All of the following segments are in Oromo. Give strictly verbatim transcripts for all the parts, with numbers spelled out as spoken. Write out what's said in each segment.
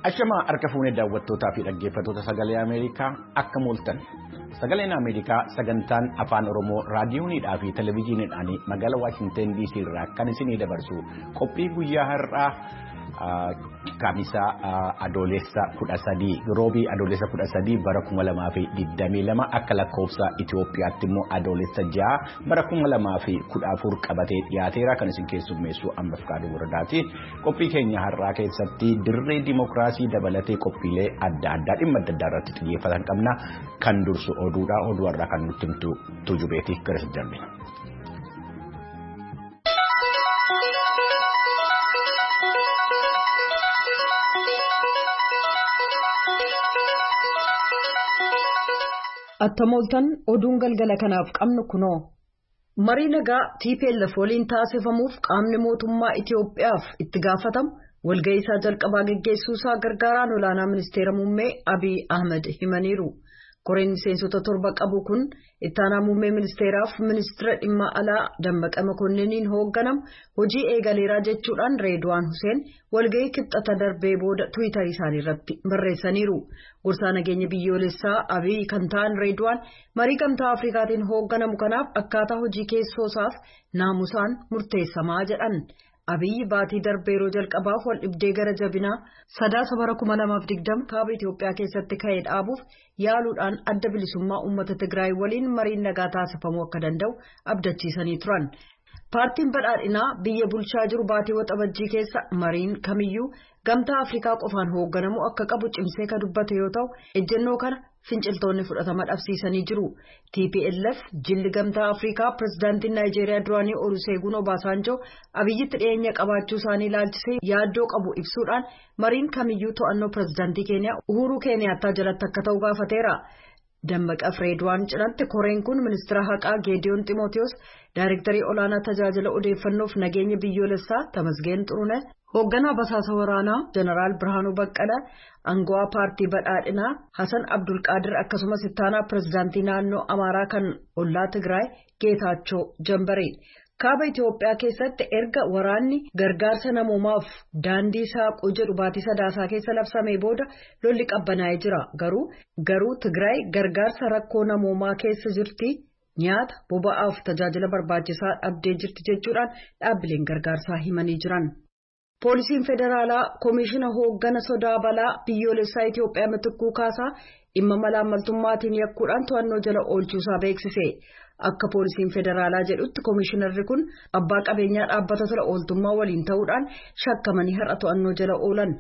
Ashamaa harka fuunee daawwattootaa fi dhaggeeffattoota sagalee Ameerikaa akka mooltan. Sagaleen Ameerikaa sagantaan afaan Oromoo raadiyoonidhaa fi televezyiiniidhaan magaalaa Waashinten D C irraa kan isinii dabarsu qophii guyyaa har'aa Kamisaa adoolessa kudha sadii roobii adoolessa kudha sadii bara kuma lamaa fi digdamii lama akka lakkoofsa Itoophiyaatti immoo adoolessa ja'a bara kuma lamaa fi kudha afur qabatee dhiyaateera kan isin keessummeessu amma Fikaaduu Waradaati. Qophii keenya har'aa keessatti dirree dimookiraasii dabalatee qophiilee adda addaa dhimma adda addaa irratti xiyyeeffatan qabna. Kan dursu oduudha. Oduu har'aa kan nutti himtu Tujubeeti gara si darbina. Attamooltan oduun galgala kanaaf qabnu kunoo. Marii nagaa T P L F waliin taasifamuuf qaamni mootummaa Itoophiyaaf itti gaafatamu walga'ii isaa jalqabaa geggeessuu isaa gargaaraan olaanaa ministeera muummee Abiy Ahmed himaniiru. Koreen miseensota torba qabu kun ittaanaa muummee ministeeraaf ministeera dhimma alaa Dammaqa Makonniiniin hoogganamu hojii eegaleeraa jechuudhaan Reedwaan Huseen walga'ii kibxata darbee booda Tiwiitarii isaanii irratti barreessaniiru. Gorsaa nageenya biyyoolessaa Abiy kan ta'an Reedwaan marii gamtaa Afrikaatiin hoogganamu kanaaf akkaataa hojii keessoosaaf naamusaan murteessamaa jedhan. Abiy baatii darbee yeroo jalqabaaf wal dhibdee gara jabinaa sadaasa bara kuma lamaaf digdama kaaba Itoophiyaa keessatti ka'ee dhaabuuf yaaluudhaan adda bilisummaa uummata Tigraay waliin mariin nagaa taasifamuu akka danda'u abdachiisanii turan. Paartiin badhaadhinaa biyya bulchaa jiru baatii waxabajjii keessa mariin kamiyyuu gamtaa Afrikaa qofaan hoogganamuu akka qabu cimsee kan dubbate yoo ta'u ejjennoo kana finciltoonni fudhatama dhabsiisanii jiru. T P L F jilli gamtaa Afrikaa pirezidaantiin Naayijeeriyaa duraanii Oluseegun Obaasanjoo Abiyyitti dhiyeenya qabaachuu isaanii ilaalchisee yaaddoo qabu ibsuudhaan mariin kamiyyuu to'annoo pirezidaantii Keeniyaa Uhuruu Keeniyaattaa jalatti akka ta'u gaafateera. Dammaqa Reedwaan cinatti koreen kun ministeera haqaa Geediyoon Ximootiyoos, daayirektarii olaanaa tajaajila odeeffannoof nageenya biyyoolessaa Tamasgeen Xurune, hoogganaa basaasa waraanaa Jeneraal Birhaanuu Baqqalaa, aangawaa paartii badhaadhinaa Hasan Abdulqaadir akkasumas ittaanaa pirezidaantii naannoo Amaaraa kan ollaa Tigraay Geetaachoo Jambaree. Kaaba Itoophiyaa keessatti erga waraanni gargaarsa namoomaaf daandii saaquu jedhu baatii sadaasaa keessa labsamee booda lolli qabbanaa'ee jira. Garuu garuu Tigraay gargaarsa rakkoo namoomaa keessa jirti, nyaata boba'aaf tajaajila barbaachisaa dhabdee jirti jechuudhaan dhaabbileen gargaarsaa himanii jiran. Poolisiin Federaalaa Koomishina Hooggana Sodaa Balaa Biyyoolessaa Itoophiyaa Mitikkuu Kaasaa dhimma malaammaltummaatiin yakkuudhaan to'annoo jala oolchuusaa beeksise. Akka poolisiin federaalaa jedhutti koomishinarri kun abbaa qabeenyaa dhaabbata tola ooltummaa waliin ta'uudhaan shakkamanii har'a to'annoo jala oolan.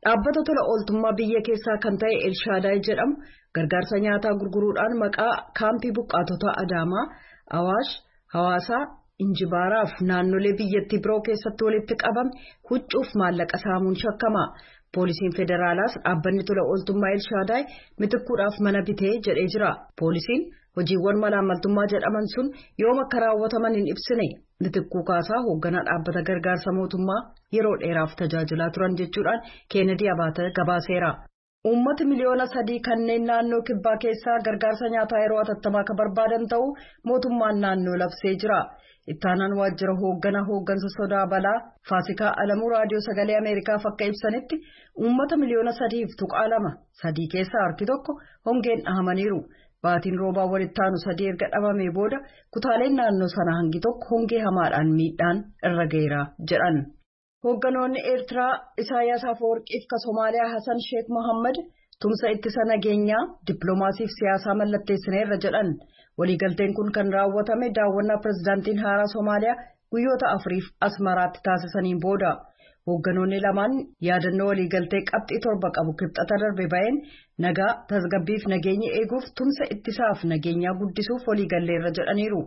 Dhaabbata tola ooltummaa biyya keessaa kan ta'e Elshaadaay jedhamu gargaarsa nyaataa gurguruudhaan maqaa kaampii buqqaatota Adaamaa, Awaash, Hawaasaa, Injibaaraaf naannolee biyyattii biroo keessatti walitti qabame huccuuf maallaqa saamuun shakkama. Poolisiin federaalaas dhaabbanni tola ooltummaa Elshaadaay mitikkuudhaaf mana bitee jedhee jira. Poolisiin hojiiwwan malaammaltummaa jedhaman sun yoom akka raawwataman hin ibsine. Mitikkuu Kaasaa hoogganaa dhaabbata gargaarsa mootummaa yeroo dheeraaf tajaajilaa turan jechuudhaan Keenedii Abaata gabaaseera. Uummati miliyoona sadii kanneen naannoo kibbaa keessaa gargaarsa nyaataa yeroo atattamaa akka barbaadan ta'uu mootummaan naannoo labsee jira. Ittaanaan waajjira hoogganaa hooggansa sodaa balaa Faasikaa Alamuu raadiyoo sagalee Ameerikaaf akka ibsanitti uummata miliyoona sadiif tuqaa lama sadii keessaa harki tokko hongeen dhahamaniiru. Baatiin roobaa walitti aanu sadii erga dhabamee booda kutaaleen naannoo sana hangi tokko hongee hamaadhaan miidhaan irra ga'eera jedhan. Hoogganoonni Eertiraa Isaayyaas Afeworqiif ka Somaaliyaa Hasan Sheekh Mohammad tumsa ittisa nageenyaa dippiloomaasiif siyaasaa mallatteessineerra jedhan. Waliigalteen kun kan raawwatame daawwannaa pirezidaantiin haaraa Somaaliyaa guyyoota afuriif Asmaraatti taasisaniin booda. Hoogganoonni lamaan yaadannoo waliigaltee qabxii torba qabu kibxata darbe ba'een nagaa tasgabbiif nageenya eeguuf tumsa ittisaaf nageenyaa guddisuuf waliigalleerra jedhaniiru.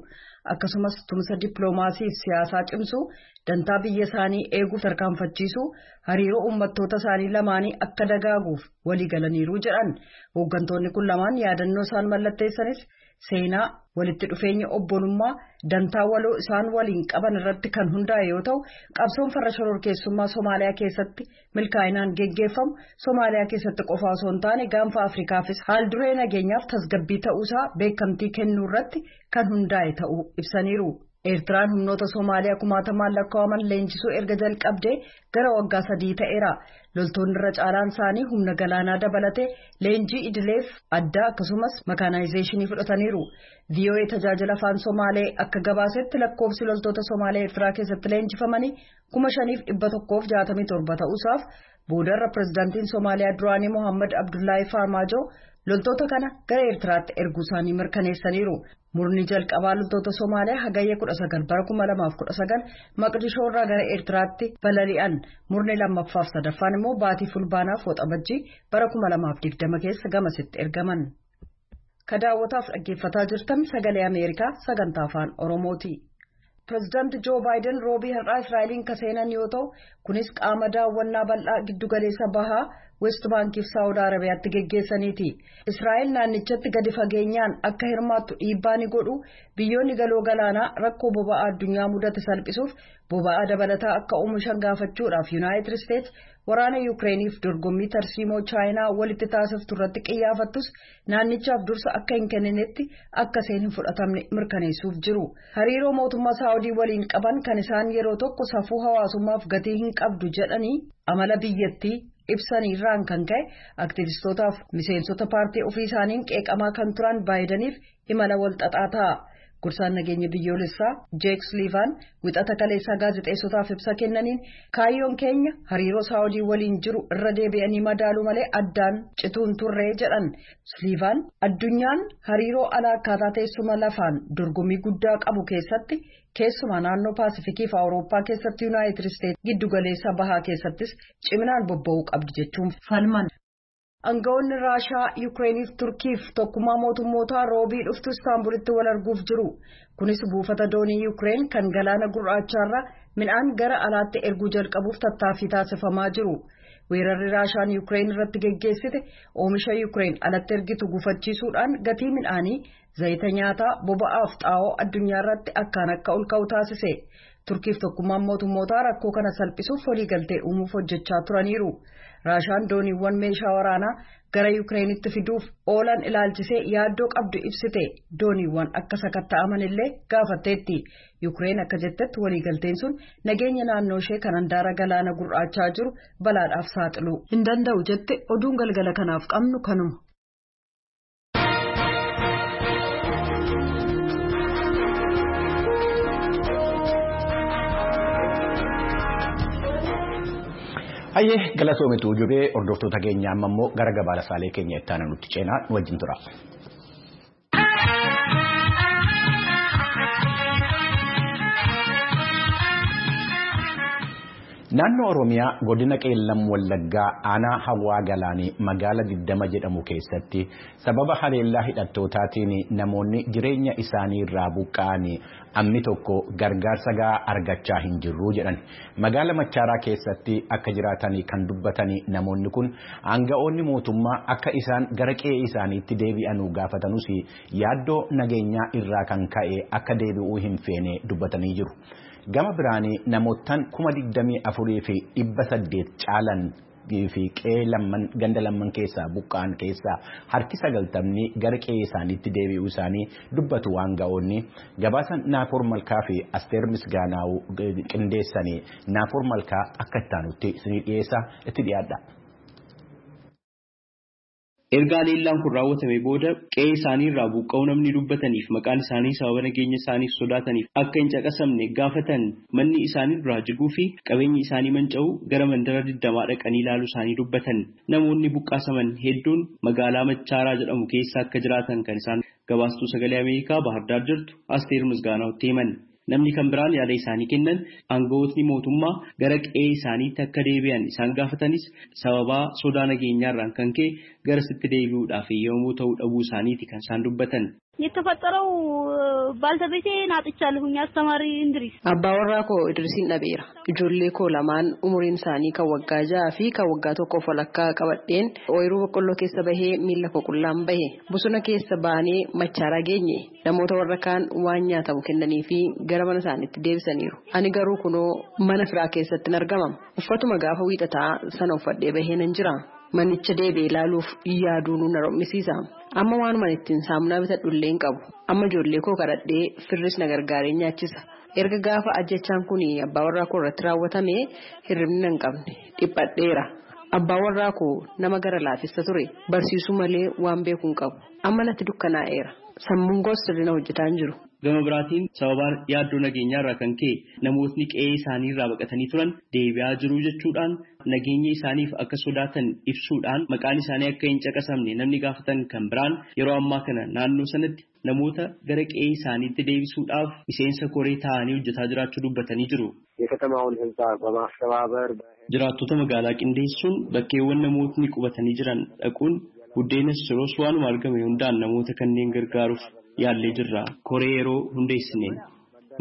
Akkasumas tumsa dippiloomaasiif siyaasaa cimsuu, dantaa biyya isaanii eeguuf tarkaanfachiisuu, hariiroo uummattoota isaanii lamaanii akka dagaaguuf waliigalaniiru jedhan. Hooggantoonni kun lamaan yaadannoo isaan mallatteessanis seenaa walitti dhufeenya obbolummaa dantaa waloo isaan waliin qaban irratti kan hundaa'e yoo ta'u qabsoon farra shororkeessummaa Somaaliyaa keessatti milkaa'inaan geggeeffamu Somaaliyaa keessatti qofa osoo hin taane gaanfa Afrikaafis haal duree nageenyaaf tasgabbii ta'uusaa beekamtii kennuu irratti kan hundaa'e ta'uu ibsaniiru. Eertiraan humnoota Somaaliyaa kumaatamaan lakkaa'aman leenjisuu erga jalqabdee gara waggaa sadii ta'eera. Loltoonni irra caalaan isaanii humna galaanaa dabalatee leenjii idileef addaa akkasumas makaanaayizeeshinii fudhataniiru. V O A tajaajila afaan Somaalee akka gabaasetti lakkoofsi loltoota Somaalee Eertiraa keessatti leenjifamanii kuma shaniif dhibba tokkoof jaatamii torba ta'uusaaf boodarra pirezidaantiin Somaaliyaa duraanii Mohaammed Abdullaahi Farmaajoo loltoota kana gara Eertiraatti erguu isaanii mirkaneessaniiru. Murni jalqabaa loltoota Somaaliyaa hagayya kudha sagal bara kuma lamaaf kudha sagal Maqdishoo irraa gara Eertiraatti balali'an. Murni lammaffaaf sadaffaan immoo baatii fulbaanaaf waxabajjii bara kuma lamaaf digdama keessa gamasitti ergaman. Ka daawwataaf dhaggeeffataa jirtan sagalee Ameerikaa sagantaa afaan Oromooti. Pireezidaanti Joo Baayiden roobii har'aa Israa'eliin ka seenan yoo ta'u, kunis qaama daawwannaa bal'aa giddugaleessa bahaa West Baankiif Saawud Arabiyaatti geggeessaniiti. Israa'el naannichatti gadi fageenyaan akka hirmaattu dhiibbaa ni godhu, biyyoonni galoo galaanaa rakkoo boba'aa addunyaa mudate salphisuuf boba'aa dabalataa akka oomishan gaafachuudhaaf Yuunaayitid Isteets waraana Yukireeniif dorgommii tarsiimoo Chaayinaa walitti taasiftu irratti qiyyaafattus naannichaaf dursa akka hin kenninetti akka isheen hin fudhatamne mirkaneessuuf jiru. Hariiroo mootummaa Saawudii waliin qaban kan isaan yeroo tokko safuu hawaasummaaf gatii hin qabdu jedhanii amala biyyattii ibsaniirraan kan ka'e aktiivistootaaf miseensota paartii ofii isaaniin qeeqamaa kan turan Baayidaniif imala wal xaxaa ta'a. Gorsaan nageenya biyyoolessaa Jeek Suliivaan wixata kaleessaa gaazexeessotaaf ibsa kennaniin kaayyoon keenya hariiroo Saawudii waliin jiru irra deebi'anii madaaluu malee addaan cituun turree jedhan. Suliivaan addunyaan hariiroo alaa akkaataa teessuma lafaan dorgommii guddaa qabu keessatti keessumaa naannoo Paasifikii fi Awurooppaa keessatti Yuunaayitid Isteetsi giddugaleessa bahaa keessattis ciminaan bobba'uu qabdi jechuun falman. Aangawoonni Raashaa, Yukireeniif Turkiif tokkummaa mootummootaa roobii dhuftu Istaanbulitti wal arguuf jiru. Kunis buufata doonii Yukireen kan galaana gurraachaarra midhaan gara alaatti erguu jalqabuuf tattaaffii taasifamaa jiru. Weerarri Raashaan Yukireen irratti geggeessite oomisha Yukireen alatti ergitu gufachiisuudhaan gatii midhaanii, zayita nyaataa, boba'aaf xaa'oo addunyaa irratti akkaan akka ol ka'u taasise. Turkiif tokkummaan mootummootaa rakkoo kana salphisuuf waliigaltee uumuuf hojjechaa turaniiru. Raashaan dooniiwwan meeshaa waraanaa gara Yukireenitti fiduuf oolan ilaalchisee yaaddoo qabdu ibsite. Dooniiwwan akka sakatta'aman illee gaafatteetti. Yukireen akka jettetti waliigalteen sun nageenya naannoo ishee kan handaara galaana gurraachaa jiru balaadhaaf saaxiluu hin danda'u jette. Oduun galgala kanaaf qabnu kanuma. Hayyee galatoomitu jubee hordoftoota keenya amma immoo gara gabaasaalee keenya itti aanan nutti ceenaa nu wajjin tura. Naannoo Oromiyaa godina Qeellam Wallaggaa aanaa Hawwaa Galaanii magaala digdama jedhamu keessatti sababa haleellaa hidhattootaatiin namoonni jireenya isaanii irraa buqqa'anii amni tokko gargaarsa gahaa argachaa hin jirru jedhan. Magaala Machaaraa keessatti akka jiraatanii kan dubbatanii namoonni kun aanga'oonni mootummaa akka isaan gara qe'ee isaaniitti deebi'anuu gaafatanus yaaddoo nageenyaa irraa kan ka'e akka deebi'uu hin feene dubbatanii jiru. Gama biraanii namootaan kuma digdamii afurii fi dhibba saddeet caalan fi qe'ee lamman ganda lamman keessaa buqqa'an keessaa harki sagaltamni gara qe'ee isaaniitti deebi'uu isaanii dubbatu waan ga'oonni gabaasa Naakoor Malkaa fi Asteer Misgaanaa'u qindeessanii Naakoor Malkaa akka itti isinii dhiyeessa itti dhiyaadha. Erga haleellaan kun raawwatame booda qe'ee isaanii irraa buqqa'uu namni dubbataniif maqaan isaanii sababa nageenya isaaniif sodaataniif akka hin caqasamne gaafatan manni isaanii duraa jiguu fi qabeenyi isaanii manca'uu gara mandara digdamaa dhaqanii ilaaluu isaanii dubbatan. Namoonni buqqaasaman hedduun magaalaa Machaaraa jedhamu keessa akka jiraatan kan isaan gabaastuu sagalee Ameerikaa Baahirdaar jirtu Asteer Misgaanaawtti himan. Namni kan biraan yaada isaanii kennan aangawootni mootummaa gara qe'ee isaaniitti akka deebi'an isaan gaafatanis sababaa sodaa nageenyaarraan kan ka'e gara sitti deebi'uudhaaf yommuu ta'u dhabuu isaaniiti kan isaan dubbatan. የተፈጠረው ባልተቤቴን አጥቻለሁኝ አስተማሪ እንድሪስ Abbaa warraa koo Idrisiin dhabeera. Ijoollee koo lamaan umuriin isaanii kan waggaa ja'aa fi kan waggaa tokkoof walakkaa qabadheen ooyiruu boqqolloo keessa bahee miila koo qullaan bahe. Bosona keessa baanee Machaaraa geenye namoota warra kaan waan nyaatamu kennanii fi gara mana isaaniitti deebisaniiru. Ani garuu kunoo mana firaa keessatti argamama. Uffatuma gaafa wiixataa sana uffadhee bahee nan jira. Manicha deebi'ee ilaaluuf yaaduun na rommisiisa. Amma waanuma ittiin saamunaa bitadhu illee hin qabu. Amma ijoollee koo kadhadhee firris na gargaaree nyaachisa. Erga gaafa ajjechaan kun abbaa warraa koo irratti raawwatame hirribni hin qabne dhiphadheera. Abbaa warraa koo nama gara laafessa ture barsiisuu malee waan beeku hin qabu. Amma natti dukkanaa'eera. Sammuun koos sirriin hojjetaa hin jiru. Gama biraatiin sababaan yaaddoo nageenyaa irraa kan ka'e namootni qe'ee isaanii irraa baqatanii turan deebi'aa jiru jechuudhaan nageenya isaaniif akka sodaatan ibsuudhaan maqaan isaanii akka hin caqasamne namni gaafatan kan biraan yeroo ammaa kana naannoo sanatti namoota gara qe'ee isaaniitti deebisuudhaaf miseensa koree ta'anii hojjetaa jiraachuu dubbatanii jiru. የከተማውን ህዝብ በማስተባበር Jiraattota magaalaa qindeessuun bakkeewwan namootni qubatanii jiran dhaquun buddeenas siroos waanuma argame hundaan namoota kanneen gargaaruuf yaallee jirra. Koree yeroo hundeessineen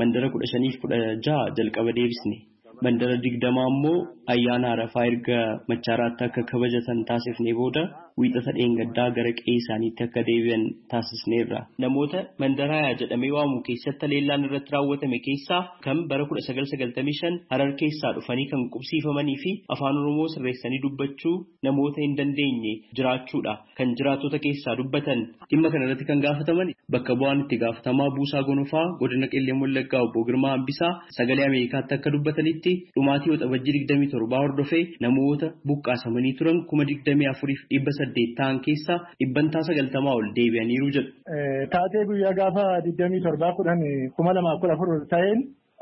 mandara kudha shaniif kudha jaha jalqaba deebisne. Mandara digdamaa immoo ayyaana Arafaa erga Machaaraatti akka kabajatan taasifnee booda wiixata dheengaddaa gara qe'ee isaaniitti akka deebi'an taasisneerra. Namoota mandara hayaa jedhamee waamu keessatti haleellaan irratti raawwatame keessaa kan bara kudha sagal sagaltamii shan Harar keessaa dhufanii kan qubsiifamanii fi afaan Oromoo sirreessanii dubbachuu namoota hin dandeenye jiraachuudha. Kan jiraattota keessaa dubbatan dhimma kana irratti kan gaafataman bakka bu'aan itti gaafatamaa Buusaa Gonofaa godina Qellem Wallaggaa obbo Girmaa Hambisaa sagalee Ameerikaatti akka dubbatanitti dhumaatii waxabajjii digdamii torbaa hordofee namoota buqqaasamanii turan kuma digdamii afuriif dhibba saddeet ta'an keessaa dhibbantaa sagaltamaa ol deebi'aniiru jedhu. Taatee guyyaa gaafa digdamii torbaa kudhan kuma lamaaf kudha afur ta'een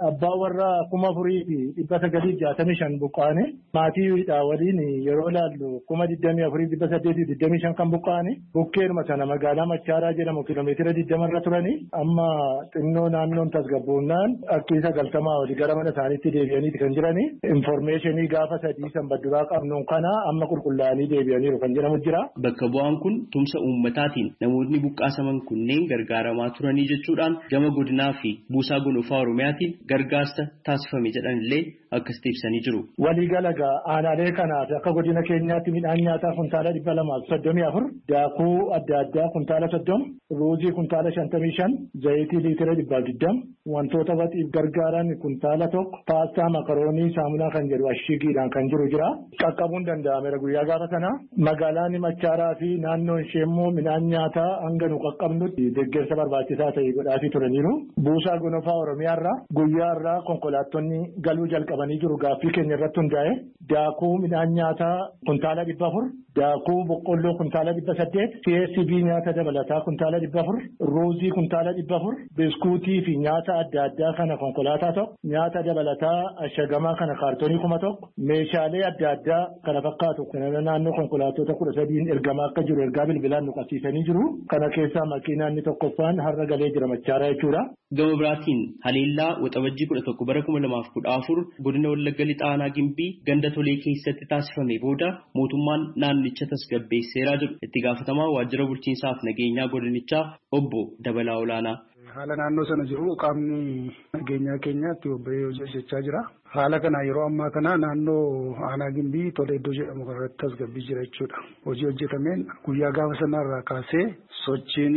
abbaa warraa kuma afurii fi dhibba sagalii jaatamii shan buqqaane maatiidha waliin yeroo ilaallu kuma digdamii afurii dhibba saddeetii digdamii shan kan buqqaane bukkeenuma sana magaalaa Machaaraa jedhamu kiiloomeetira digdamarra turanii amma xinnoo naannoon tasgabboonnaan akkii sagaltamaa olii gara mana isaaniitti deebi'aniiti kan jirani. Infoormeeshinii gaafa sadii sanbadduraa qabnuun kana amma qulqullaa'anii deebi'aniiru kan jedhamu jira. Bakka bu'aan kun tumsa uummataatiin namootni buqqaasaman kunneen gargaaramaa turanii jechuudhaan gama godinaa fi buusaa gonofaa Oromiyaatiin gargaarsa taasifame jedhan illee akkasitti ibsanii jiru. Waliigala aanaalee kanaaf akka godina keenyaatti midhaan nyaataa kuntaala dhibba lamaaf soddomii afur, daakuu adda addaa kuntaala soddoma, ruuzii kuntaala shantamii shan, zayitii liitira dhibbaaf digdama, wantoota waxiif gargaaran kuntaala tokko, paastaa makaroonii saamunaa kan jedhu ashigiidhaan kan jiru jira. Qaqqabuun danda'ameera guyyaa gaafa sana. Magaalaan Machaaraa fi naannoon ishee immoo midhaan nyaataa hanga nu qaqqabnutti deeggarsa barbaachisaa ta'e godhaafii turaniiru. Buusaa gonofaa Oromiyaarraa guyyaa irraa konkolaattonni galuu jalqabanii jiru gaaffii keenya irratti hundaa'e daakuu midhaan nyaataa kuntaala dhibba afur, daakuu boqqolloo kuntaala dhibba saddeet, C S B nyaata dabalataa kuntaala dhibba afur, ruuzii kuntaala dhibba afur, biskuutii fi nyaata adda addaa kana konkolaataa tokko, nyaata dabalataa ashagamaa kana kaartoonii kuma tokko, meeshaalee adda addaa kana fakkaatu kana naannoo konkolaattota kudha sadiin ergamaa akka jiru ergaa bilbilaan nu qabsiisanii jiru. Kana keessaa makiinaan inni tokkoffaan har'a galee jira Machaaraa jechuudha. Gama biraatiin haleellaa waxabajjii kudha tokko bara kuma lamaaf kudha afur godina Wallagga Lixaa Aanaa Gimbii ganda Tolee keessatti taasifame booda mootummaan naannicha tasgabbeesseeraa jedhu itti gaafatamaa waajjira bulchiinsaaf nageenyaa godinichaa obbo Dabalaa Olaanaa. Haala naannoo sana jiru qaamni nageenyaa keenyaatti bobba'ee hojii hojjechaa jira. Haala kana yeroo ammaa kana naannoo Aanaa Gimbii Tolee iddoo jedhamu kanarratti tasgabbii jira jechuudha. Hojii hojjetameen guyyaa gaafa sanarraa kaasee sochiin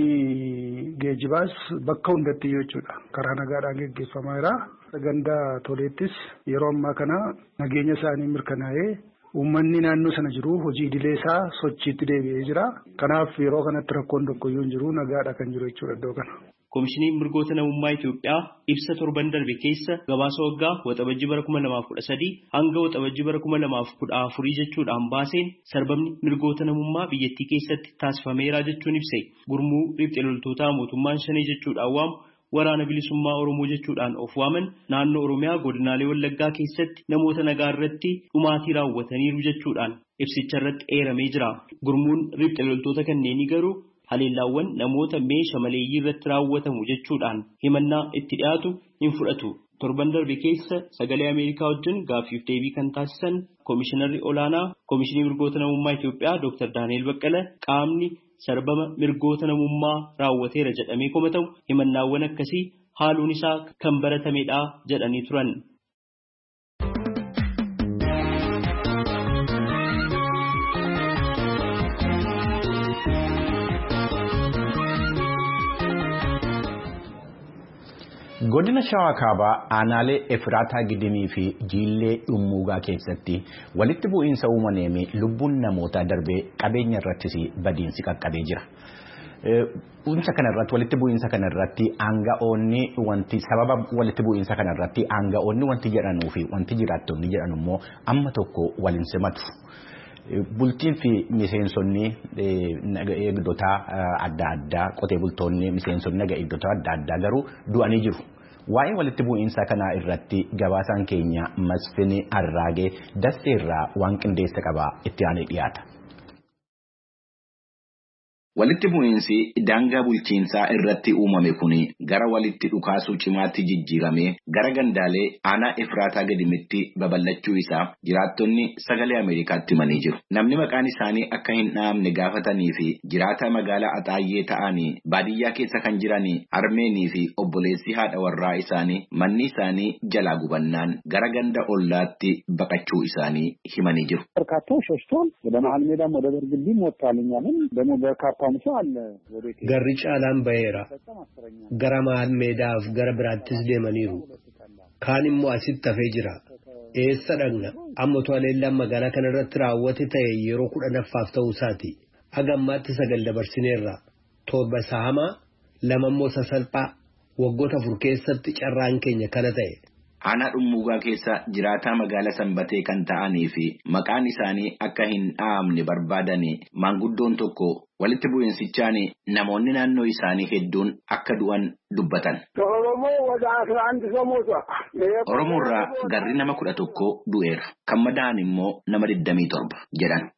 geejibaas bakka hundatti jechuudha. Karaa nagaadhaan geggeeffamaa jira. Ganda Toleettis yeroo ammaa kana nageenya isaanii mirkanaa'ee uummanni naannoo sana jiru hojii idilee isaa sochiitti deebi'ee jira. Kanaaf yeroo kanatti rakkoon tokkoyyuu hin jiru nagaadha kan jiru jechuudha iddoo kana. Koomishiniin mirgoota namummaa Itoophiyaa ibsa torban darbe keessa gabaasa waggaa waxabajjii bara kuma lamaaf kudha sadii hanga waxabajjii bara kuma lamaaf kudha afurii jechuudhaan baaseen sarbamni mirgoota namummaa biyyattii keessatti taasifameera jechuun ibse. Gurmuu riphxee loltootaa mootummaan shanee jechuudhaan waamu waraana bilisummaa Oromoo jechuudhaan of waaman naannoo Oromiyaa godinaalee Wallaggaa keessatti namoota nagaa irratti dhumaatii raawwataniiru jechuudhaan ibsicha irratti eeramee jira. Gurmuun riphxee loltoota kanneenii garuu haleellaawwan namoota meeshaa maleeyyii irratti raawwatamu jechuudhaan himannaa itti dhiyaatu hin fudhatu. Torban darbe keessa sagalee Ameerikaa wajjin gaaffiif deebii kan taasisan Koomishinarri Olaanaa Koomishinii Mirgoota Namummaa Itoophiyaa Dooktar Daani'el Baqqala qaamni sarbama mirgoota namummaa raawwateera jedhamee komatamu himannaawwan akkasii haaluun isaa kan baratamedha jedhanii turan. Godina Shawaa Kaabaa aanaalee Efraataa Gidimii fi Jiillee Dhummuugaa keessatti walitti bu'iinsa uumameen lubbuun namootaa darbee qabeenya irrattis badiinsi qaqqabee jira. Bu'insa kanarratti walitti bu'iinsa kanarratti aanga'oonni wanti sababa walitti bu'iinsa kanarratti aanga'oonni wanti jedhanuu fi wanti jiraattonni jedhan immoo amma tokko waliin simatu. Bultiin fi miseensonni naga eegdotaa adda addaa qotee bultoonni miseensonni naga eegdotaa adda addaa garuu du'anii jiru. Waa'ee walitti bu'iinsa kanaa irratti gabaasaan keenya Masfin Arraagee Dassee irraa waan qindeessa qabaa itti aanee dhiyaata. Walitti bu'iinsi daangaa bulchiinsaa irratti uumame kun gara walitti dhukaasuu cimaatti jijjiiramee gara gandaalee aanaa Efraataa gadimitti babal'achuu isaa jiraattonni sagalee Ameerikaatti himanii jiru. Namni maqaan isaanii akka hin dhahamne gaafatanii fi jiraata magaalaa Axaayyee ta'anii baadiyyaa keessa kan jiran harmeenii fi obboleessi haadha warraa isaanii manni isaanii jalaa gubannaan gara ganda ollaatti baqachuu isaanii himanii jiru. Garri caalaan baheera. Gara maal meedaaf gara biraattis deemaniiru. Kaan immoo asitti hafee jira. Eessa dhaqna? Amma to'aleellaan magaalaa kanarratti raawwate ta'e yeroo kudhanaffaaf ta'uu isaati. Haga ammaatti sagal dabarsineerra. Torba isa hamaa, lama immoo sasalphaa. Waggoota afur keessatti carraan keenya kana ta'e. Aanaa dhummuugaa keessa jiraataa magaalaa Sanbatee kan ta'anii fi maqaan isaanii akka hin dhahamne barbaadanii maanguddoon tokko walitti bu'iinsichaan namoonni naannoo isaanii hedduun akka du'an dubbatan. Oromoo irraa garri nama kudha tokko du'eera. Kan madaa'an immoo nama digdamii torba jedhan.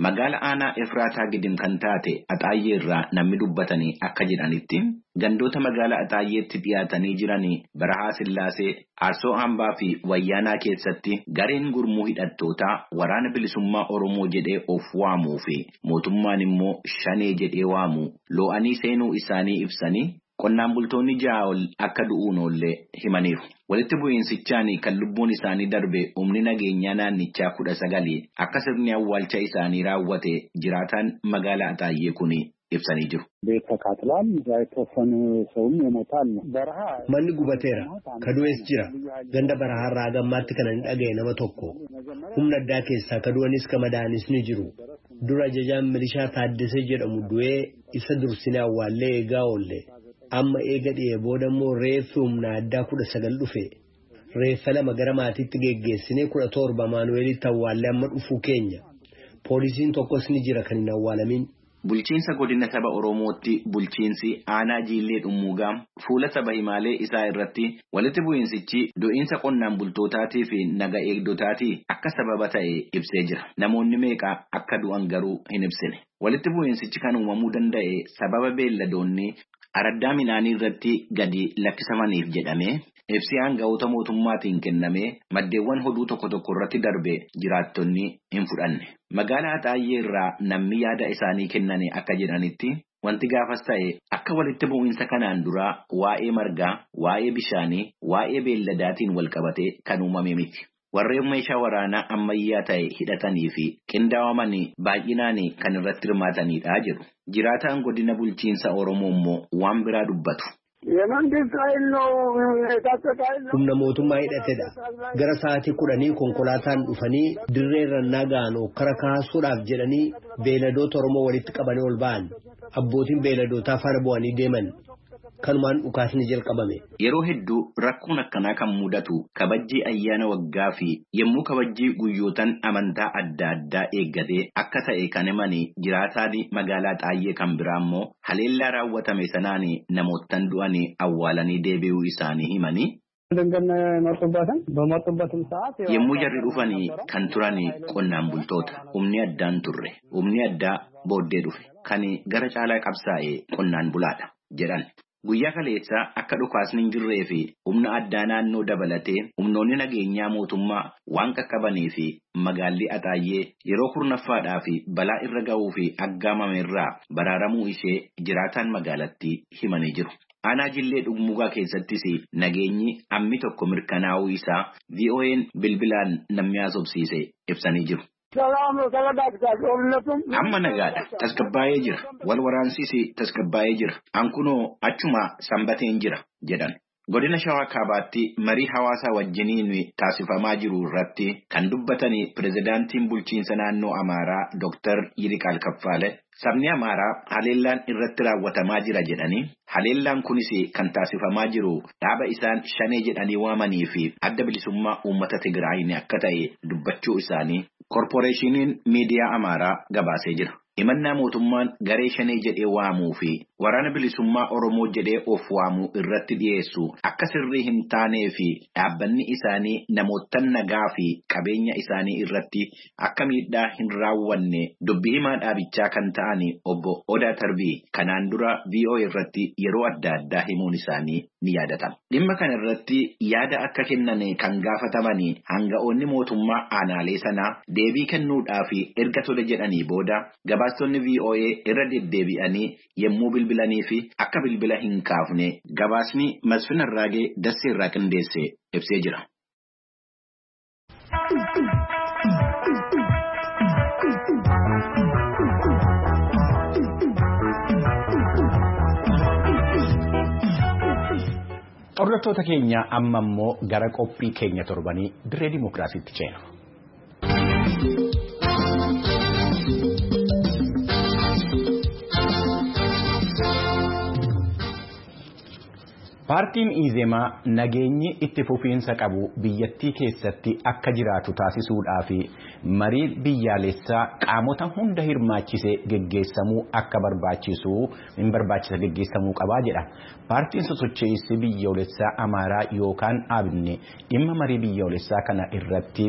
Magaala aanaa Efraataa Gidim kan taate Axaayyee irraa namni dubbatanii akka jedhanitti gandoota magaala Axaayyeetti dhiyaatanii jiranii Barahaa Sillaasee, Arsoo Hambaa fi Wayyaanaa keessatti gareen gurmuu hidhattootaa waraana bilisummaa Oromoo jedhee of waamuu fi mootummaan immoo Shanee jedhee waamu loo'anii seenuu isaanii ibsanii qonnaan bultoonni ja'a ol akka du'uun oollee himaniiru. Walitti bu'iinsichaan kan lubbuun isaanii darbe humni nageenyaa naannichaa kudha sagali akka sirni awwaalcha isaanii raawwate jiraataan magaalaa Axaayyee kun ibsanii jiru. Manni gubateera. Kadu'es jira. Ganda barahaarraa hagammaatti kan hin dhagaye nama tokko. Humna addaa keessaa kadu'anis ka madaa'anis ni jiru. Dura ajajaan milishaa Taaddasee jedhamu du'ee isa dursinee awwaallee eegaa oolle. Amma eega dhi'ee booda immoo reeffi humna addaa kudha sagal dhufe. Reeffa lama gara maatiitti geggeessinee kudha torba Maanuweelitti awwaallee amma dhufuu keenya. Poolisiin tokkos ni jira kan hin awwaalamin. Bulchiinsa godina saba Oromootti bulchiinsi aanaa Jiillee Dhummuugaa fuula saba himaalee isaa irratti walitti bu'iinsichi du'iinsa qonnaan bultootaatii fi naga eegdotaatii akka sababa ta'e ibsee jira. Namoonni meeqa akka du'an garuu hin ibsine. Walitti bu'iinsichi kan uumamuu danda'e sababa beelladoonni araddaa midhaanii irratti gadi lakkisamaniif jedhamee ibsi aanga'oota mootummaatiin kennamee maddeewwan hoduu tokko tokko irratti darbe jiraattonni hin fudhanne. Magaalaa Axaayyee irraa namni yaada isaanii kennane akka jedhanitti wanti gaafas ta'e akka walitti bu'iinsa kanaan duraa waa'ee margaa, waa'ee bishaanii, waa'ee beelladaatiin walqabatee kan uumame miti. Warreen meeshaa waraanaa ammayyaa ta'e hidhatanii fi qindaa'aman baay'inaan kan irratti hirmaatanidha jedhu. Jiraataan godina bulchiinsa Oromoo immoo waan biraa dubbatu. Humna mootummaa hidhatedha. Gara sa'aatii kudhanii konkolaataan dhufanii dirree irra nagaan okkara kaasuudhaaf jedhanii beeyladoota Oromoo walitti qabanii ol ba'an. Abbootiin beeyladootaa faana bu'anii deeman. Kanumaan dhukaasni jalqabame. Yeroo hedduu rakkoon akkanaa kan mudatu kabajjii ayyaana waggaa fi yommuu kabajjii guyyootan amantaa adda addaa eeggatee akka ta'e kan himanii jiraataan magaalaa Axaayyee kan biraa immoo haleellaa raawwatame sanaan namoottan du'anii awwaalanii deebi'uu isaanii himanii. Yommuu jarri dhufanii kan turan qonnaan bultoota. Humni addaan turre. Humni addaa booddee dhufe. Kan gara caalaa qabsaa'e qonnaan bulaadha jedhan. Guyyaa kaleessaa akka dhukaasni hin jirree fi humna addaa naannoo dabalatee humnoonni nageenyaa mootummaa waan qaqqabanii fi magaalli Axaayyee yeroo kurnaffaadhaa fi balaa irra ga'uu fi aggaamame irraa baraaramuu ishee jiraataan magaalattii himanii jiru. Aanaa Jillee Dhummuugaa keessattis nageenyi ammi tokko mirkanaa'uu isaa V O N bilbilaan namni haasofsiise ibsanii jiru. Amma nagaadha. Tasgabbaa'ee jira. Wal waraansis tasgabbaa'ee jira. Ankunoo achuma sanbateen jira jedhan. Godina Shawaa Kaabaatti marii hawaasaa wajjiniin taasifamaa jiru irratti kan dubbatanii pirezidaantiin bulchiinsa naannoo Amaaraa Dooktar Yiriqaal Kaffaale sabni Amaaraa haleellaan irratti raawwatamaa jira jedhanii haleellaan kunis kan taasifamaa jiru dhaaba isaan shanee jedhanii waamanii fi adda bilisummaa uummata Tigraayin akka ta'e dubbachuu isaanii koorporeeshiniin miidiyaa Amaaraa gabaasee jira. Himannaa mootummaan garee shanee jedhee waamuu fi waraana bilisummaa Oromoo jedhee of waamuu irratti dhiyeessu akka sirrii hin taanee fi dhaabbanni isaanii namoota nagaa fi qabeenya isaanii irratti akka miidhaa hin raawwanne dubbii himaa dhaabichaa kan ta'an obbo Odaa Tarbii kanaan dura V O A irratti yeroo adda addaa himuun isaanii ni yaadatama. Dhimma kana irratti yaada akka kennan kan gaafataman hanga'oonni mootummaa aanaalee sanaa deebii kennuudhaaf erga tole jedhanii booda gabaastonni V O A irra deddeebi'anii yommuu bilbilanii fi akka bilbila hin kaafne gabaasni Masfin Arraagee Dassee irraa qindeesse ibsee jira. Hordoftoota keenya amma immoo gara qophii keenya torbanii dirree dimookiraasiitti ceena. Paartiin Izemaa nageenyi itti fufiinsa qabu biyyattii keessatti akka jiraatu taasisuudhaa fi marii biyyaalessaa qaamota hunda hirmaachisee geggeessamuu akka barbaachisu hin barbaachisa geggeessamuu qabaa jedha. Paartiin sosochiinsi biyyoolessaa Amaaraa yookaan Abni dhimma marii biyyoolessaa kana irratti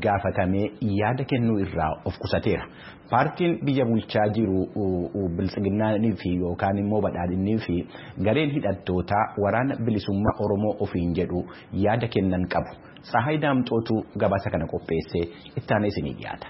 gaafatamee yaada kennuu irraa of qusateera. Paartiin biyya bulchaa jiru biltsiginnaanii fi yookaan immoo badhaadhinnii fi gareen hidhattootaa waraana bilisummaa Oromoo ofiin jedhu yaada kennan qabu. Tsahaay Daamxootu gabaasa kana qopheessee itti aanee isinii dhiyaata.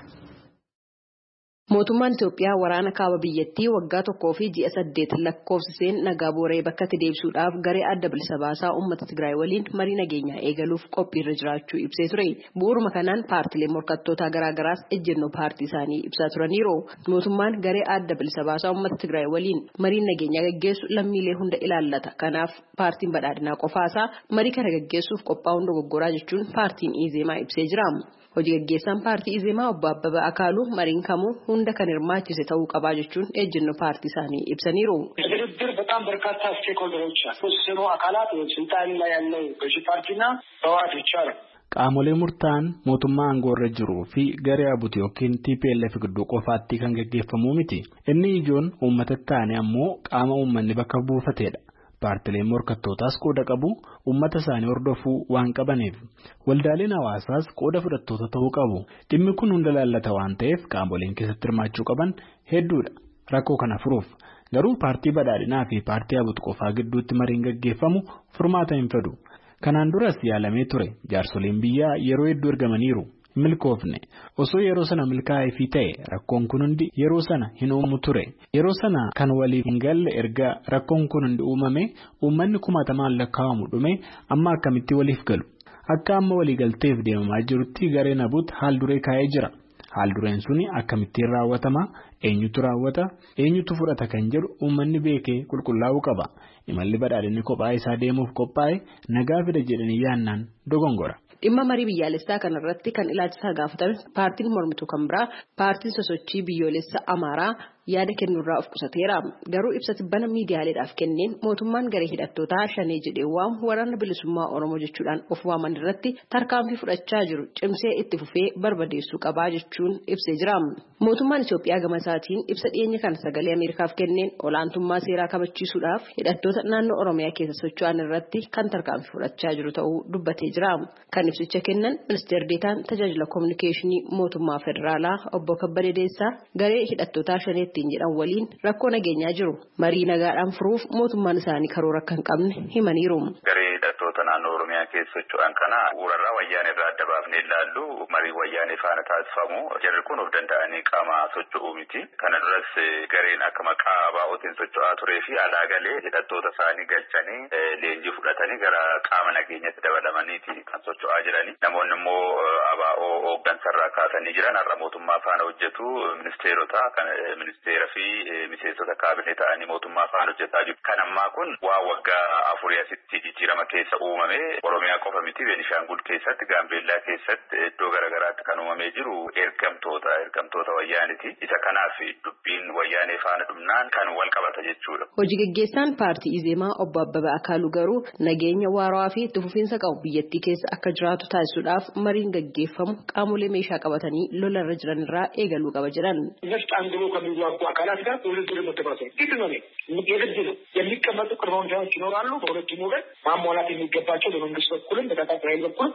Mootummaan Itoophiyaa waraana kaaba biyyattii waggaa tokkoo fi ji'a saddeet lakkoofsiseen nagaa booree bakkatti deebisuudhaaf garee adda bilisa baasaa uummata Tigraay waliin marii nageenyaa eegaluuf qophiirra jiraachuu ibsee ture. Bu'uuruma kanaan paartilee morkattootaa garaagaraas ejjennoo paartii isaanii ibsaa turaniiru. Mootummaan garee adda bilisa baasaa uummata Tigraay waliin marii nageenyaa gaggeessu lammiilee hunda ilaallata. Kanaaf paartiin badhaadhinaa qofaasaa marii kana gaggeessuuf qophaa'uun dogoggoraa jechuun paartiin Izemaa ibsee jira. Hojii gaggeessaan paartii Izemaa obbo Abbabaa Akaaluu mariin kamuu hunda kan hirmaachise ta'uu qabaa jechuun ejjennoo paartii isaanii ibsaniiru. ድርድር በጣም በርካታ ስቴክሆልደሮች የተወሰኑ አካላት ስልጣን ላይ ያለው ገዢ ፓርቲና ህወሓት ብቻ ነው። Qaamolee murtaa'an mootummaa aangoo irra jiruu fi garee A B U T yookiin T P L F gidduu qofaatti kan gaggeeffamu miti. Inni ijoon uummata taane ammoo qaama uummanni bakka buufatedha. Paartileen morkattootaas qooda qabu uummata isaanii hordofuu waan qabaniif waldaaleen hawaasaas qooda fudhattoota ta'uu qabu. Dhimmi kun hunda laallata waan ta'eef qaamoleen keessatti hirmaachuu qaban hedduudha. Rakkoo kana furuuf garuu paartii badhaadhinaa fi paartii A B U T qofaa gidduutti mariin gaggeeffamu furmaata hin fidu. Kanaan duras yaalamee ture jaarsoliin biyyaa yeroo hedduu ergamaniiru. Milkoofne osoo yeroo sana milkaa'ee fi ta'e rakkoon kun hundi yeroo sana hin uumu ture yeroo sana kan waliif hin galle erga rakkoon kun hundi uumame uummanni kumaatamaan lakkaa'amu dhume amma akkamitti waliif galu akka amma waliigalteef deemamaa jirutti gareen A B U T haal duree kaa'ee jira haal dureen suni akkamittiin raawwatama eenyutu raawwata eenyutu fudhata kan jedhu uummanni beekee qulqullaa'uu qaba imalli badhaadhinni kophaa isaa deemuuf qophaa'e nagaa fida jedhanii yaannaan dogongora. Dhimma marii biyyaalessaa kanarratti kan ilaalchisaa gaafatame paartiin mormituu kan biraa paartiin sosochii biyyoolessa Amaaraa yaada kennuurraa of qusateera. Garuu ibsa tibbana miidiyaaleedhaaf kenneen mootummaan garee hidhattootaa shanee jedhee waamu waraana bilisummaa Oromoo jechuudhaan of waaman irratti tarkaanfii fudhachaa jiru cimsee itti fufee barbadeessuu qabaa jechuun ibsee jira. Mootummaan Itoophiyaa gama isaatiin ibsa dhiyeenya kana sagalee Ameerikaaf kenneen olaantummaa seeraa kabachiisuudhaaf hidhattoota naannoo Oromiyaa keessa socho'an irratti kan tarkaanfii fudhachaa jiru ta'uu dubbatee jira. Kan ibsicha kennan ministeer deetaan tajaajila kominikeeshinii mootummaa federaalaa obbo Kabbadee Deessaa garee hidhattootaa shaneettiin jedhan waliin rakkoo nageenyaa jiru marii nagaadhaan furuuf mootummaan isaanii karoora akka hin qabne himaniiru. Garee hidhattoota naannoo Oromiyaa keessa socho'an kana bu'uurarraa wayyaanee irraa adda baafnee ilaallu marii wayyaanee faana taasifamu jarri kun of danda'anii qaama socho'uu miti. Kana duras gareen akka maqaa baa'ootiin socho'aa turee fi alaa galee hidhattoota isaanii galchanii leenjii fudhatanii gara qaama nageenyatti dabalamaniiti kan socho'aa jirani. Namoonni immoo A B O hooggansarraa kaasanii jiran har'a mootummaa faana hojjetu ministeerota kan ministeera fi miseensota kaabinee ta'anii mootummaa faana hojjetaa jiru. Kan ammaa kun waa waggaa afurii asitti jijjiirama keessa uumame Oromiyaa qofa miti Beenishaangul keessatti Gaambeellaa keessatti iddoo garaagaraatti kan uumamee jiru ergamtoota ergamtoota wayyaaniti. Isa kanaaf dubbiin wayyaanee faana dhumnaan kan wal qabata jechuudha. Hojii gaggeessaan paartii Izeemaa obbo Abbabaa Akaaluu garuu nageenya waarawaa fi itti fufiinsa qabu biyyattii keessa akka jiraatu taasisuudhaaf mariin gaggeeffamu qaamolee meeshaa qabatanii lolarra jiran irraa eegaluu qaba jedhan. ነፍጥ አንግቦ ከሚዋጉ አካላት ጋር ውድድር መተባሰብ ግድ ነው፣ የግድ ነው። የሚቀመጡ ቅድመ ሁኔታዎች ይኖራሉ። በሁለቱም ወገን ማሟላት የሚገባቸው በመንግስት በኩልም በታጣቂ ኃይል በኩልም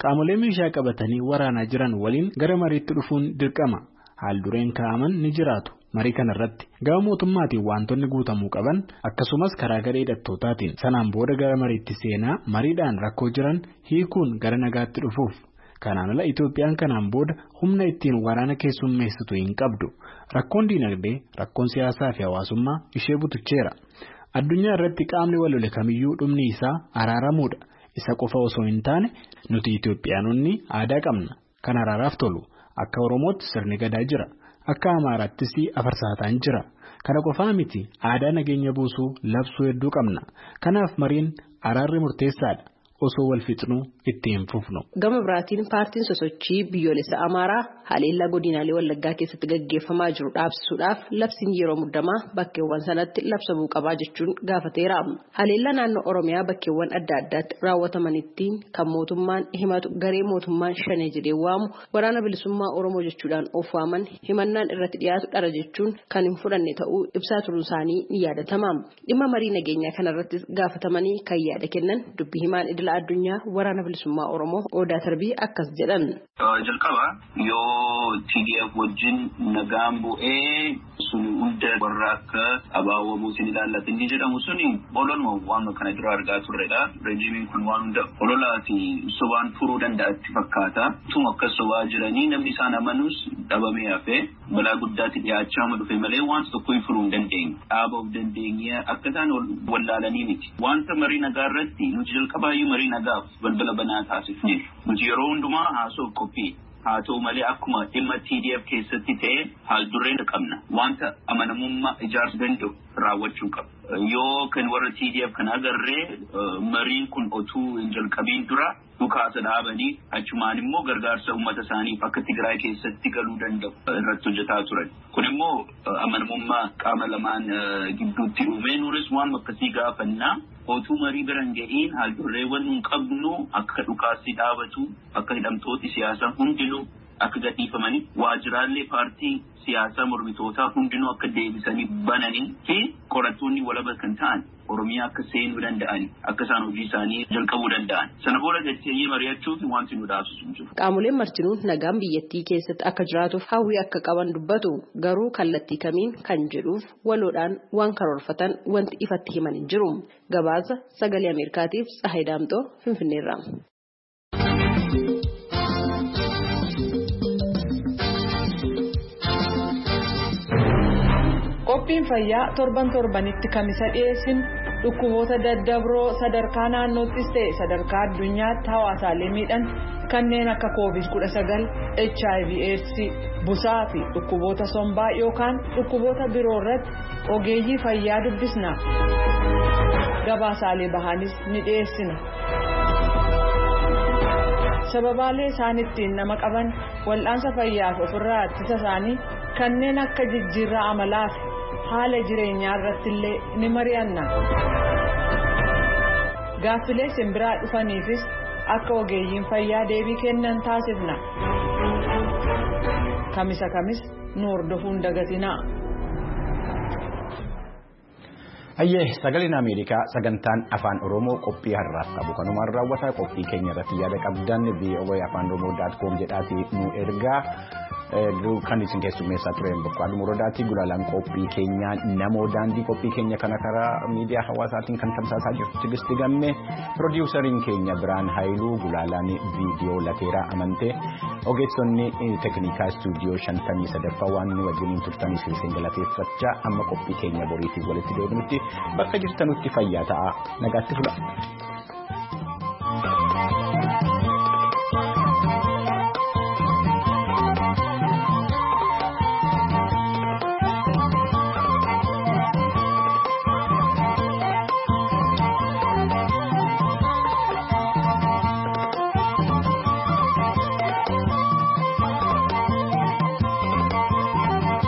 Qaamolee meeshaa qabatanii waraanaa jiran waliin gara mariitti dhufuun dirqama. Haal dureen kaa'aman ni jiraatu. Marii kanarratti gama mootummaatiin wantoonni guutamuu qaban akkasumas karaa garee hidhattootaatiin sanaan booda gara mariitti seenaa mariidhaan rakkoo jiran hiikuun gara nagaatti dhufuuf. Kanaan ala Itoophiyaan kanaan booda humna ittiin waraana keessummeessitu hin qabdu. Rakkoon diinagdee, rakkoon siyaasaa fi hawaasummaa ishee butucheera. Addunyaa irratti qaamni wal lole kamiyyuu dhumni isaa araaramuudha. Isa qofa osoo hin taane nuti Itoophiyaanonni aadaa qabna. Kan araaraaf tolu akka Oromootti sirni gadaa jira. Akka Amaaraattis afarsaataan jira. Kana qofaa miti aadaa nageenya buusuu labsuu hedduu qabna. Kanaaf mariin araarri murteessaadha. Osoo wal fixnuu itti hin fufnu. Gama biraatiin paartiin sosochii biyyoolessa Amaaraa haleellaa godinaalee Wallaggaa keessatti gaggeeffamaa jiru dhaabsisuudhaaf labsiin yeroo muddamaa bakkeewwan sanatti labsamuu qabaa jechuun gaafateera. Haleellaa naannoo Oromiyaa bakkeewwan adda addaatti raawwatamanitti kan mootummaan himatu garee mootummaan shanee jedhee waamu waraana bilisummaa Oromoo jechuudhaan of waaman himannaan irratti dhiyaatu dhara jechuun kan hin fudhanne ta'uu ibsaa turuun isaanii ni yaadatama. Dhimma marii nageenyaa kanarrattis gaafatamanii kan yaada kennan dubbii himaan idila addunyaa waraana bilisummaa Oromoo Odaa Tarbii akkas jedhan. Jalqaba yoo T D F wajjin nagaan bu'ee sun hunda warra akka abaawwamuutiin ilaallatu inni jedhamu suni ololuma waan kana dura argaa turredha. Rejiimiin kun waan hunda ololaa fi sobaan furuu danda'atti fakkaata. Tuma akka sobaa jiranii namni isaan amanus dhabamee hafee balaa guddaatti dhiyaachaa dhufe malee wanta tokko hin furuu hin dandeenye. Dhaaba of dandeenye akka isaan wallaalanii miti. Wanta marii nagaa irratti nuti jalqabaayyuu marii nagaaf balbala banaa taasifneerra. Nuti yeroo hundumaa haasoof qophii. Haa ta'u malee akkuma dhimma T D F keessatti ta'e haal dureen qabna. Wanta amanamummaa ijaarsuu danda'u raawwachuu qaba. Yoo kan warra T D F kan agarree mariin kun otuu hin jalqabiin dura dhukaasa dhaabanii achumaan immoo gargaarsa uummata isaaniif akka Tigraay keessatti galuu danda'u irratti hojjetaa turan. Kun immoo amanamummaa qaama lamaan gidduutti uume nuuris waan akkasii gaafannaa. Otuu marii biraan ga'iin haal-durreewwan nun qabnu akka dhukaasni dhaabatu akka hidhamtooti siyaasaa hundinuu akka gadhiifamanii waajjiraalee paartii siyaasaa mormitootaa hundinuu akka deebisanii bananii fi qorattoonni walaba kan ta'an Oromiyaa akka seenuu danda'ani akka isaan hojii isaanii jalqabuu danda'an sana booda jettee mari'achuuf wanti nu dhaabsisu hin jiru. Qaamoleen martinuu nagaan biyyattii keessatti akka jiraatuuf hawwii akka qaban dubbatu garuu kallattii kamiin kan jedhuuf waloodhaan waan karoorfatan wanti ifatti himan hin jiru. Gabaasa sagalee Ameerikaatiif Tsahaay Daamxoo Finfinneerraa. Qophiin fayyaa torban torbanitti kamisa dhiyeessinu dhukkuboota daddabroo sadarkaa naannoottis ta'e sadarkaa addunyaatti hawaasaalee miidhan kanneen akka koovid kudha sagal H I V AIDS busaa fi dhukkuboota sombaa yookaan dhukkuboota biroo irratti ogeeyyii fayyaa dubbisna. Gabaasaalee bahanis ni dhiyeessina. Sababaalee isaan ittiin nama qaban wal'aansa fayyaaf ofirraa ittisa isaanii kanneen akka jijjiirraa amalaa fi haala jireenyaa irratti illee ni mari'anna. Gaaffilee simbiraa dhufaniifis akka ogeeyyiin fayyaa deebii kennan taasifna. Kamisa kamis nu hordofuun dagatinaa. Hayyee sagaleen Ameerikaa sagantaan afaan Oromoo qophii har'aaf qabu kanumaan raawwataa qophii keenya irratti yaada qabdan V O A afaan Oromoo dot com jedhaatii nu ergaa. Kan isin keessummeessaa tureen Boqqooduu Muradaati. Gulaalaan qophii keenyaa namoo daandii qophii keenya kana karaa miidiyaa hawaasaatiin kan tamsaasaa jirtu Tigisti Gammee, piroodiwusariin keenya Biraan Haayiluu, gulaalaan viidiyoo Lateeraa Amantee, ogeessonni teeknikaa istuudiyoo shantamii sadaffaa waan nu wajjiniin turtaniif isin galateeffachaa amma qophii keenya boriitiin walitti deebinutti bakka jirtanutti fayyaa ta'aa nagaatti fula.